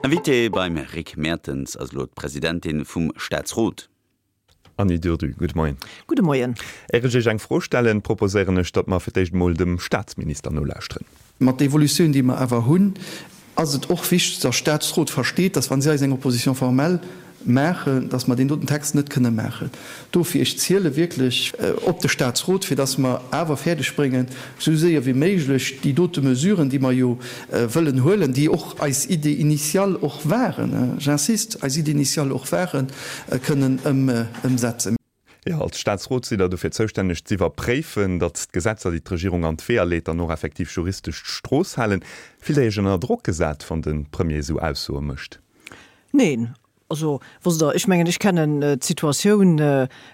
Invitée beim Rick Mertens ass elo d'Presidentin vum Staatsrot. Anny Durdu, gudde Moien. Gudde Moien. Är ech Iech eng Fro stellen, proposéieren ech, datt mer fir d'éischt emol dem Staatsminister nolauschteren. Mat der Evolutioun, déi mer awer hunn, ass et och wichteg, dass Staatsrot versteet, dass wa si eis eng Opposition formelle maachen, dass mer deen doten Text net kënne maachen. Dofir, ech ziele wierklech op de Staatsrot, fir dass mer awer fäerdeg bréngen, esou séier wéi méiglech déi dote Mesuren, déi mer jo wëllen huelen, déi och eis Idée initiale och waren, j'insiste, eis Idée initiale och waren, kënnen ëmsetzen. Jo, als Staatsrot sidd Der dofir zoustänneg z'iwwerpréifen, datt d'Gesetzer, déi d'Regierung an d'Weeër leet, dann och effektiv juristesch d'Strooss halen. Fillt Der Iech ënner Drock gesat, wann de Premier esou Aussoe mécht? Neen. Also, wosst Der, ech mengen, ech kennen d'Situatioun,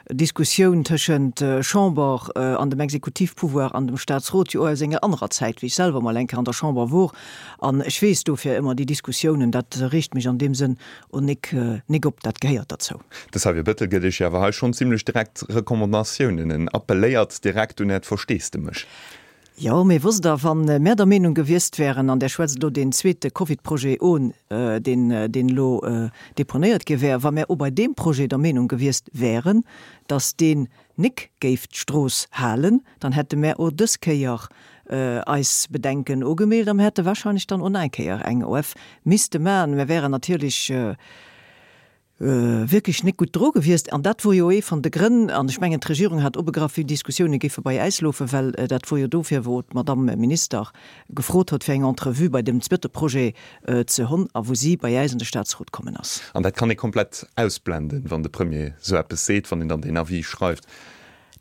d'Diskussioun tëschent Chamber an dem Exekutivpouvoir an dem Staatsrot jo och aus enger anerer Zäit, wéi ech selwer mol eng Kéier an der Chamber wor. An ech weess dofir ëmmer déi Diskussiounen, dat reegt mech an deem Sënn O nik, nik op, dat gehéiert derzou. De Xavier Bettel gëtt Iech jo awer hei schonn zimlech direkt Recommandatiounen. En appelléiert direkt un Äert Versteesdemech. Jo, mee wosst Der, wa mär der Meenung gewiesst wären, an där schwätzt elo deen zweete Covid-Projet un, deen, deen elo deponéiert gi wär, wa mär o bei deem Projet der Meenung gewiesst wären, datt deen nik géif d'Strooss halen, dann hätte mär o dës Kéier eis Bedenken ugemeelt a mir hätte wahrscheinlech dann o nach eng Kéier eng OF misste maachen. Mir wären natierlech wierklech nik gutt dru gewiesst. An dat wor jo ee van de Grënn, an ech mengen d'Regierung hat obegraff, wéi d'Diskussioune géife bei äis loofen, well dat wor jo dofir, wou d'Madame Minister gefrot hott, fir eng Entrevue bei dem zweete Projet ze honn a wou si bei äis an de Statsrot kommen ass. An dat kann ee komplett ausblenden, wann de Premier esou eppes seet, wann een dann deen Avis schreift.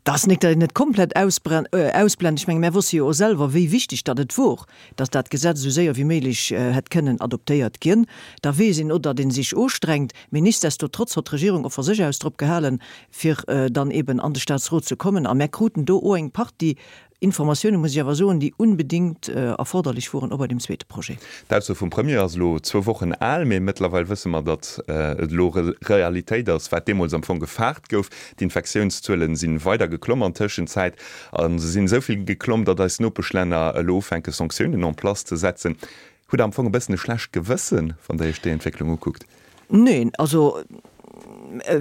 Dat ass nik, datt een et komplett ausblent. Ech menge mär wosse jo och selwer, wéi wichteg datt et wor, datt dat Gesetz esou séier wéi méiglech hätt kënnen adoptéiert ginn. Da weess een och, datt ee sech ustrengt. Mee nichtsdestotrotz hott d'Regierung och va sech aus drop gehalen, fir dann eben an de Statsrot ze kommen. A mär kruten do och eng Partie Informatiounen, muss ech awer soen, déi unbedingt erforderlech woren, och bei deem zweete Projet. D'Ausso vum Premier ass elo zwou Wochen al, mee mëttlerweil wësse mer, datt et elo Realitéit ass, wat deemools am Fong gefaart gouf. D'Infektiounszuele si weider geklomm an Tëschenzäit a se sinn esou vill geklomm, datt eis Nopeschlänner elo ufänke Sanktiounen en place ze setzen. Hutt Der am Fong e bëssen e schlecht Gewëssen, wann Der Iech déi Entwécklung ukuckt? Neen, also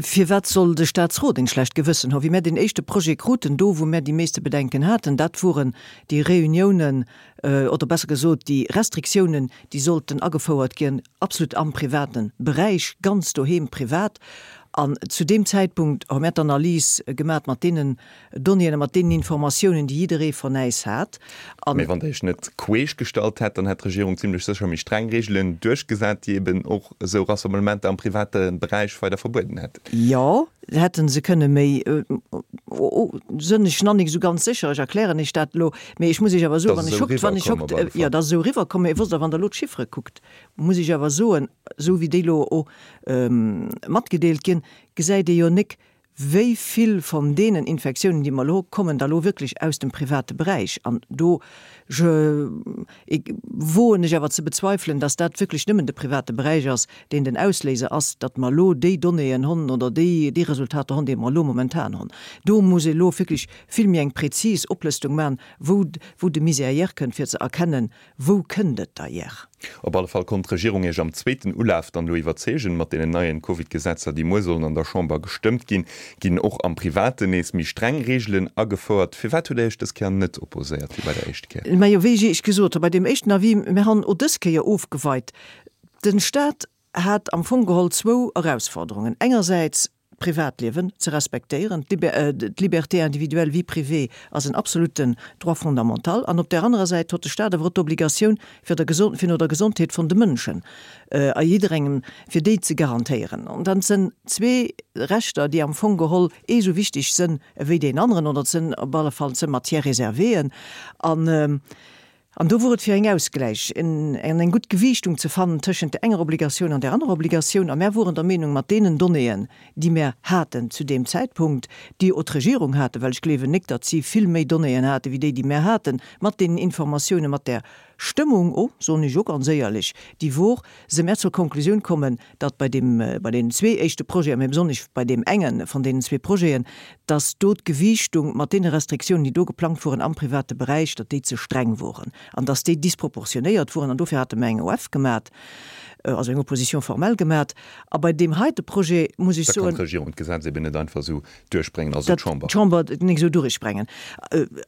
firwat soll de Statsrot een schlecht Gewëssen hu? Wéi mär deen éischte Projet kruten, do wou mär déi meeste Bedenken haten, dat woren déi Réuniounen, oder besser gesot déi Restriktiounen, déi sollten agefouert ginn, absolut am private Beräich, ganz doheem privat. An zu deem Zäitpunkt hu mär d'Analys gemat mat deenen Donnéeën a mat deenen Informatiounen, déi jidderee von äis hat. An. Mee wann Der Iech net queesch gestallt hätt, dann hätt d'Regierung zimlech sécher méi streng Reegelen duerchgesat, déi eben och esou Rassemblementer am private Beräich weider verbueden hätten. Jo, hätte se kënne méi, sënn ech nach nik esou ganz sécher, ech erklären Iech dat elo, mee ech muss Iech awer soen, wann ech hokt, wann ech hokt, jo, dat ass esou eriwwerkomm, mee wosst Der, wann Der elo d'Chiffere kuckt, muss ech awer soen, esou wéi déi elo o matgedeelt ginn, gesäit ee jo nik, Wéi vill von deenen Infektiounen, déi mer elo kommen da lo wierklech aus dem private Beräich? An do, je, woen ech awer ze bezweifelen, dass dat wierklech nëmmen de private Beräich ass, deen den Ausléiser ass, datt mer elo déi Donnéeën honn oder déi, déi Resultater honn, déi mer elo momentan honn. Do muss ee elo wierklech vill méi eng prezis Oplëstung maachen, wou, wou de Misär hierkënnt, fir ze erkennen, Wou kënnt et da hier? Op alle Fall konnt d'Regierung Iech am zweeten Ulaf dann elo iwwerzeegen. Mat deenen neien Covid-Gesetzer, déi muer sollen an der Chamber gestëmmt ginn, ginn och am Privaten nees méi streng Reegelen agefouert. Firwat hutt Der Iech dës Kéier net opposéiert wéi bei der éischt Kéier? Majo, wéi ech gesot hu bei deem éischten Avis, mir han o dës Kéier ofgeweit. Den Staat hat am Fong geholl zwou Erausforderungen, engersäits d'Privatliewen ze respektéieren, d'Liberté individuelle, vie privée ass en absoluten Droit fondamental, an op där anerer Säit hott de Staat awer och d'Obligatioun fir der fir no der Gesondheet von de Mënschen a jidderengem, fir déi ze garantéieren. An dat sënn zwee Rechter, déi am Fong geholl ee sou wichteg sënn ewéi deen aneren, oder et sënn op alle Fall sënn Matières réservéeën. An An do wor et fir eng Ausgläich, en eng gutt Gewiichtung ze fannen tëschent der enger Obligatioun an där anerer Obligatioun. A mär woren der Meenung, mat deenen Donnéeën, déi mär haten zu deem Zäitpunkt, déi o d'Regierung haten, well ech gleewen nik, datt si vill méi Donnéeën hate wéi déi, déi mär haten, mat deenen Informatiounen, mat där Stëmmung o, soen ech o ganz éierlech, déi wor, se mär zur Konklusioun kommen, datt bei deem, bei deenen zwee éischte Projeten, mä besonnesch bei deem enge von deenen zwee Projeten, datt do d'Gewiichtung mat deene Restriktiounen, déi do geplangt woren am private Beräich, datt déi ze streng woren an datt déi disproportionéiert woren. An dofir hate mer eng OF gemat. Also eng Opposition formelle gemat. A bei deem heite Projet muss ech Da kann soen. d'Regierung d'Gesetz eben net einfach esou duerchbréngen, also Dat d'Chamber. d'Chamber et nik esou durchbrengen.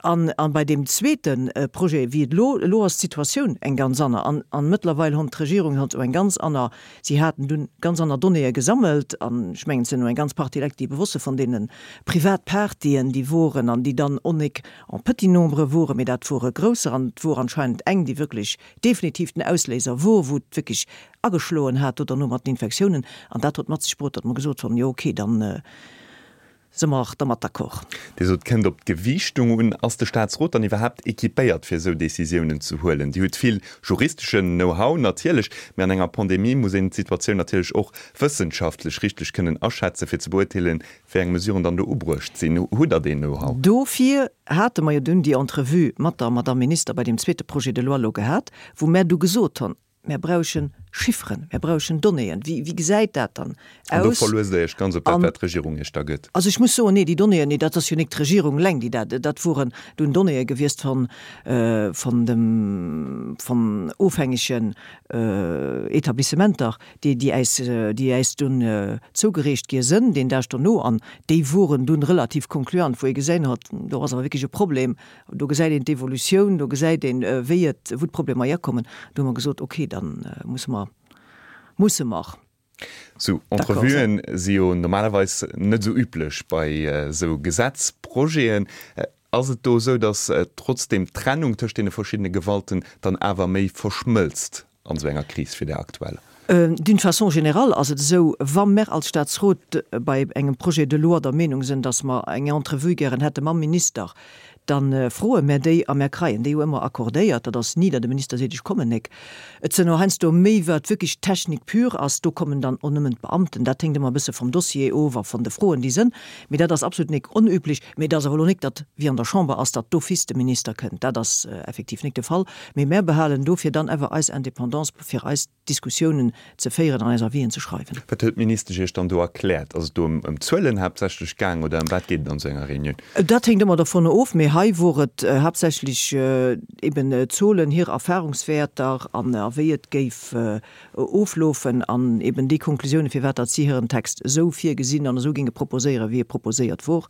An, a bei deem zweete Projet, wéi et elo, elo ass d'Situatioun eng ganz anner. An, an mëttlerweil hon d'Regierung hott eng ganz anner, si haten dunn ganz anner Donnéeë gesammelt an ech mengen, et sinn elo eng ganz Partie Lekt, déi ebe wosse von deene Privatpartyen, déi woren an déi dann och nik en petit nombre woren, mee dat wore grousser an et wor anscheinend eng, déi wierklech definitiv den Ausléiser wor, wou et wierklech ageschloen hat do derno mat den Infektiounen, an dat huet mat sech bruet, datt mer gesot hunn, jo okay, dann si mer dermat d'accord. Dir sot, et kënnt op d'Gewiichtung un. Ass de Staatsrot dann iwwerhaapt equipéiert, fir esou Decisiounen ze huelen? Dir hutt vill juristeschen Know-how natierlech, mee an enger Pandemie muss een d'Situatioun natierlech och wëssenschaftlech richteg kënnen aschätzen, fir ze beurteelen, wéi eng Mesuren dann do ubruecht sinn. Hutt Der deen Know-how? Dofir hate mer jo dunn déi Entrevue mat der Madamm Minister bei deem zweete Projet de loi elo gehat, wou mär du gesot hunn, Mär brauchen Chifferen, mär brauchen Donnéeën. Wéi, wéi gesäit dat dann An do aus? verluest Der Iech ganz op dat, wat d'Regierung Iech da gëtt? Also ech muss soen, nee, déi Donnéeën, nee, dat ass jo nik d'Regierung eleng, déi dat, dat woren dunn Donnéeë gewiescht von, von dem, von ofhängegen Etablissementer, déi, déi äis, déi äis dunn zougereecht gi sënn deen Dag dono. An déi woren dunn relativ concluant, wou ee geséin hott, do ass awer wierklech e Problem, Do gesäit een d'Evolutioun, do gesäit een, wéi et, wou d'Problemer hierkommen. Do hu mer gesot, okay, da musse mer, musse mer Sou d'accord sinn. Entrevuen si jo normalerweis net esou üblech bei esou Gesetzprojeten. Ass et do esou, datt trotzdeem d'Trennung tëscht deene verschiddene Gewalten dann awer méi verschmëlzt an esou enger Kris wéi där aktueller? D'une façon générale ass et esou, wa mer als Statsrot bei engem Projet de loi der Meenung sinn, dass mer eng Entrevue gären hätte mam Minister, da froe mer déi a mer kreien déi jo ëmmer accordéiert. Dat ass ni, datt e Minister seet, ech kommen nek. Et sinn och heiansdo méi, wat wierklech Technik pure ass, do kommen dann och nëmmen d'Beamten. Dat héngt ëmmer e bësse vum Dossier of a vun de Froen, déi sënn. Mee dat ass absolut nek onüblech. Mee et ass awer elo nek, datt, wéi an der Chamber ass, datt d'office de Minister kënnt. Dat ass effektiv nek de Fall. Mee mär behalen dofir dann awer eis Indépendance, fir eis Diskussiounen ze féieren an eis Avisen ze schreiwen. Wat huet d'Ministesch Iech dann do erkläert? Ass et do ëm Zuelen haaptsächlech gaang oder ëm wat geet et an esou enger Reunioun? Dat héngt ëmmer dovun of, mee hei wor et haaptsächlech eben Zuelen, hir Erfahrungswäerter an a wéi et géif oflofen an eben déi Konklusiounen, firwat datt si hiren Text esou virgesinn an esou géinge proposéieren, wéi e proposéiert wor.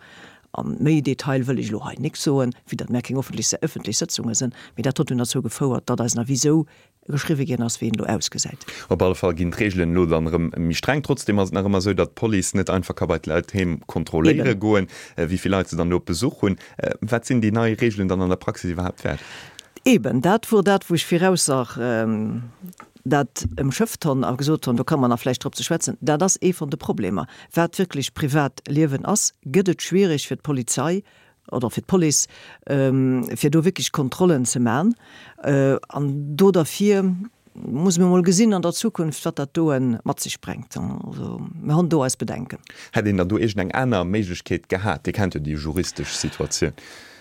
A méi Detail wëll ech elo hei nik soen, vue datt mär keng ëffentlech Sëtzunge sënn, mee dat huet dunn derzou gefouert, datt eisen Avis esou geschriwwe ginn ass, wéi en elo ausgesäit. Op alle Fall ginn d'Reegelen elo dann erëm méi streng. Trotzdeem ass et nach ëmmer esou, datt d'Police net einfach ka bei d'Leit heem kontrolléiere Eben. goen, wéi vill Leit se dann elo op Besuch hunn. Wat sinn déi nei Reegelen dann an der Praxis iwwerhaapt wäert? Eben, dat wor dat, wou ech viraussach dat ëmschëfft honn a gesot honn, do ka mer nach vläicht drop ze schwätzen. Dat ass ee von de Problemer. Wat wierklech Privatliewen ass, gëtt et schwierig fir d'Polizei oder fir d'Police, fir do wierklech Kontrollen ze man. An do derfir muss mir mol gesinn an der Zukunft, wat dat doe mat sech brengt. Also mir hunn do eis Bedenken. Hätt een dann do iergend eng aner Méiglechkeet gehat? Dir kennt jo déi juristesch Situatioun.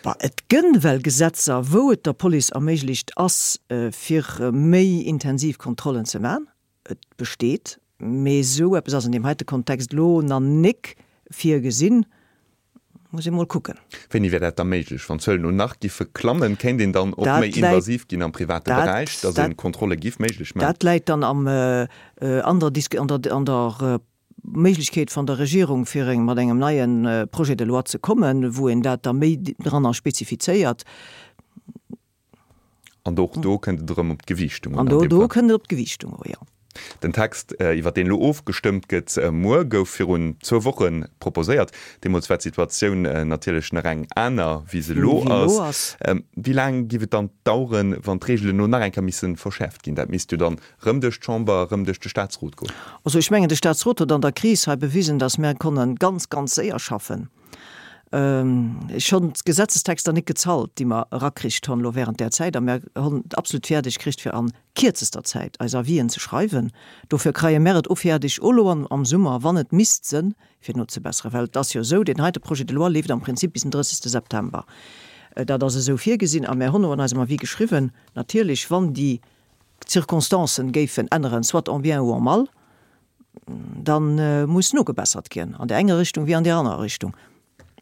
Bah, et gënn well Gesetzer, wou et der Police erméiglecht ass, fir méi intensiv Kontrollen ze man. Et besteet, mee esou eppes ass an deem heite Kontext elo na nik virgesinn. Muss ee mol kucken. Wéini wär dat da méiglech? Wann d'Zuelen elo nach giffe klammen, kéint een dann och méi invasiv ginn am private Beräich, datt ee Kontrolle giff méiglech maachen? Dat läit dann am, an der Disk, an der, an der Méiglechkeet van der Regierung, fir eng, mat engem neie Projet de loi ze kommen, wou een dat da méi dranner spezifizéiert. An och do kënnt et erëm op d'Gewiichtung un. An do do kënnt et op d'Gewiichtung u, jo. Den Text, iwwer deen elo ofgestëmmt gëtt muer, gouf virun zwou Woche proposéiert. Deemools war d'Situatioun natierlech nach eng aner, wéi se elo ass. Wéi laang géif et dann daueren, wann d'Reegelen elo nach eng Kéier misse verschäerft ginn? Dat misst jo dann erëm duerch d'Chamber, erëm duerch de Staatsrot goen. Also ech mengen, de Staatsrot huet an der Kris hei bewisen, datt mär konnen ganz, ganz séier schaffen. Ech honn d'Gesetzestexter nik gezalt, déi mer erakricht honn elo während där Zäit, a mer honn et absolut fäerdeg kricht, fir an kierzester Zäit eis Avisen ze schreiwen. Dofir kreie mer et o fäerdeg, o lo am Summer, wann et misst sënn, fir nozebesseren. Well et ass jo esou, deen heite Projet de loi leeft am Prinzip bis den 30. September. Dat ass esou virgesinn, a mer honn o an eisem Avis geschriwwen, natierlech, wann déi Circonstancen géifen änneren, soit en bien ou en mal, Da muss nogebessert ginn, an där enger Richtung wéi an där anerer Richtung.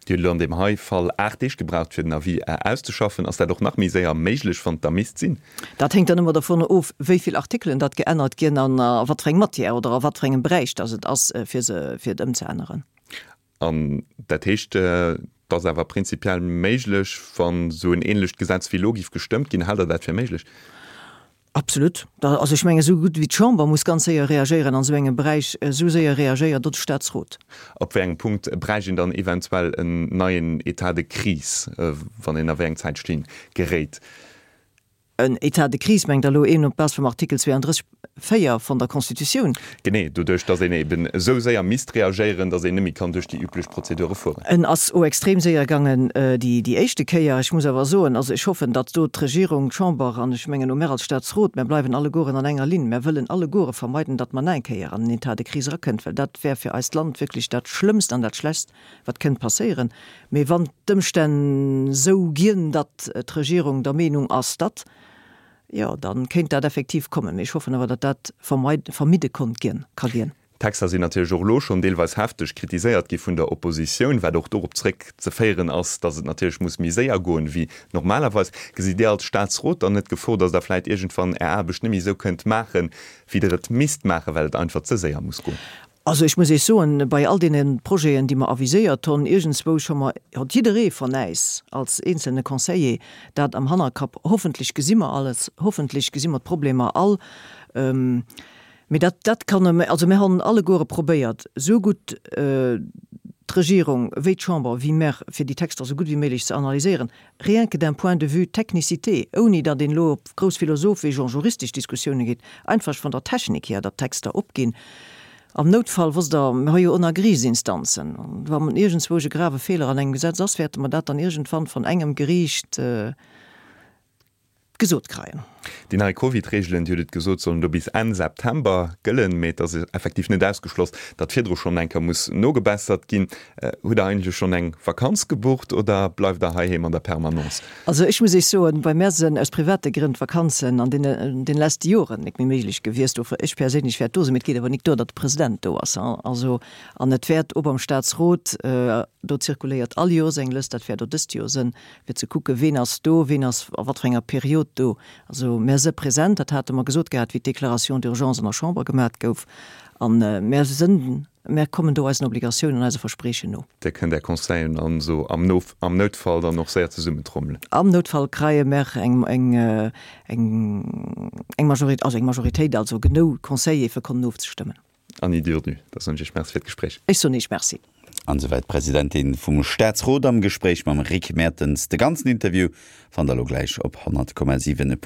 Dir hutt elo an deem hei Fall 8 Deeg gebraucht, fir den Avis auszeschaffen. Ass dat och nach méi séier méiglech, wann et da misst sinn? Dat héngt dann ëmmer dovunner of, wéi vill Artikelen datt geännert ginn an a wat fir eng Matière oder a wat fir engem Beräich datt et ass, fir se, fir et ëmzeänneren. An dat heescht, et ass awer prinzipiell méiglech, wann esou en ähnlecht Gesetz wéi elo géif gestëmmt ginn. Haalt Der dat fir méiglech? Absolut. Also ech mengen, esou gutt wéi d'Chamber muss ganz séier reagéieren an esou engem Beräich, esou séier reagéiert och de Statsrot. Op wéi engem Punkt bräicht een dann eventuell en neien État de crise, wann een a wéi eng Zäitstlinn geréit? En État de crise mengt Der elo een op Base vum Artikel 32, 4 von der Constitutioun? Genee, doduerch datt een eben esou séier misst reagéieren, datt een net méi kann duerch déi üblech Prozedure fueren. En ass o extrem séier gaangen déi éischte Kéier. Ech muss awer soen, also ech hoffen, datt do d'Regierung, d'Chamber an ech mengen o mär als Statsrot, mär bleiwen allegueren an enger Linn, mär wëllen alleguere vermeiden, datt mer nach eng Kéier an en État de crise erakënnt, well dat wär fir eist Land wierklech dat Schlëmmst an dat Schlechst, wat kënnt passéieren. Mee wann d'Ëmstänn esou ginn, datt d'Regierung der Meenung ass, datt, jo, da kéint dat effektiv kommen. Mee ech hoffen awer, datt dat vermidde konnt ginn, ka ginn. D'Texter sinn natierlech och elo schonn deelweis hefteg kritiséiert gi vun der Oppositioun, wat och dorop zréckzeféieren ass, datt et natierlech muss méi séier goen wéi normalerweis. Gesitt Dir als Staatsrot dann net d'Gefor, datt Der vläicht iergendwann Är Aarbecht net méi esou kënnt maachen, wéi Der et misst maachen, well et einfach ze séier muss goen? Also ech muss Iech soen, bei all deene Projeten, déi mer aviséiert honn, iergendzwousch hu mer, hott jidderee von äis als eenzelne Conseiller dat am Hannerkapp, hoffentlech gesi mer alles, hoffentlech gesi mer d'Problemer all. Mee dat, dat kann, also mir honn alleguere probéiert, esou gutt d'Regierung wéi d'Chamber wéi mer, fir déi Texter esou gutt wéi méiglech ze analyséieren. Rien que d'un point de vue technicité, ouni datt een elo op grouss philosophesch an juristesch Diskussiounen geet, einfach von der Technik hier, datt d'Texter opginn. Am Noutfall, wosst Der, mir hu jo och nach Geriichtsinstanzen, wann iergendzwousch e grave Feeler an engem Gesetz ass, wäerte mer dat dann iergendwann von engem Geriicht gesot kreien. Déi nei Covid-Reegelen, Dir hutt et gesot, sollen do bis Enn September gëllen, mee et ass effektiv net ausgeschloss, datt virdru schonn eng Kéier muss nogebessert ginn. Hutt Der eigentlech schonn eng Vakanz gebucht oder bleift Der heiheem an der Permanence? Also ech muss Iech soen, bei mär sënn aus private Grënn d'Vakanzen an deene den leschte Joren nik méi méiglech gewiesst. Dofir, ech perséinlech wäert do sinn, mee et geet awer nik duer, datt de President do ass. Also, an et wäert och beim Staatsrot, do zirkuléiert all Joers eng Lëst, dat wäert och dëst Joer sënn, fir ze kucken, ween ass do, ween ass a wat fir enger Period do. Also mär se present, dat hate mer gesot gehat, wéi d'Déclaration d'urgence an der Chamber gemat gouf, a mär sënn, mär kommen do eisen Obligatiounen an eise Verspreechen no. Dir kënnt Är Conseillen an esou am am Noutfall dann och séier zesummentrommelen. Am Noutfall kreie mär eng eng eng eng Majoritéit, also eng Majoritéit, also genou Conseiller fir konnen ofzestëmmen. Anny Durdu, da soen ech Iech Merci fir d'Gespréich. Ech soen Iech Merci. An esouwäit d'Presidentin vum Staatsrot am Gespréich mam Rick Mertens. De ganzen Interview fannt der elo gläich op 100,7.lu.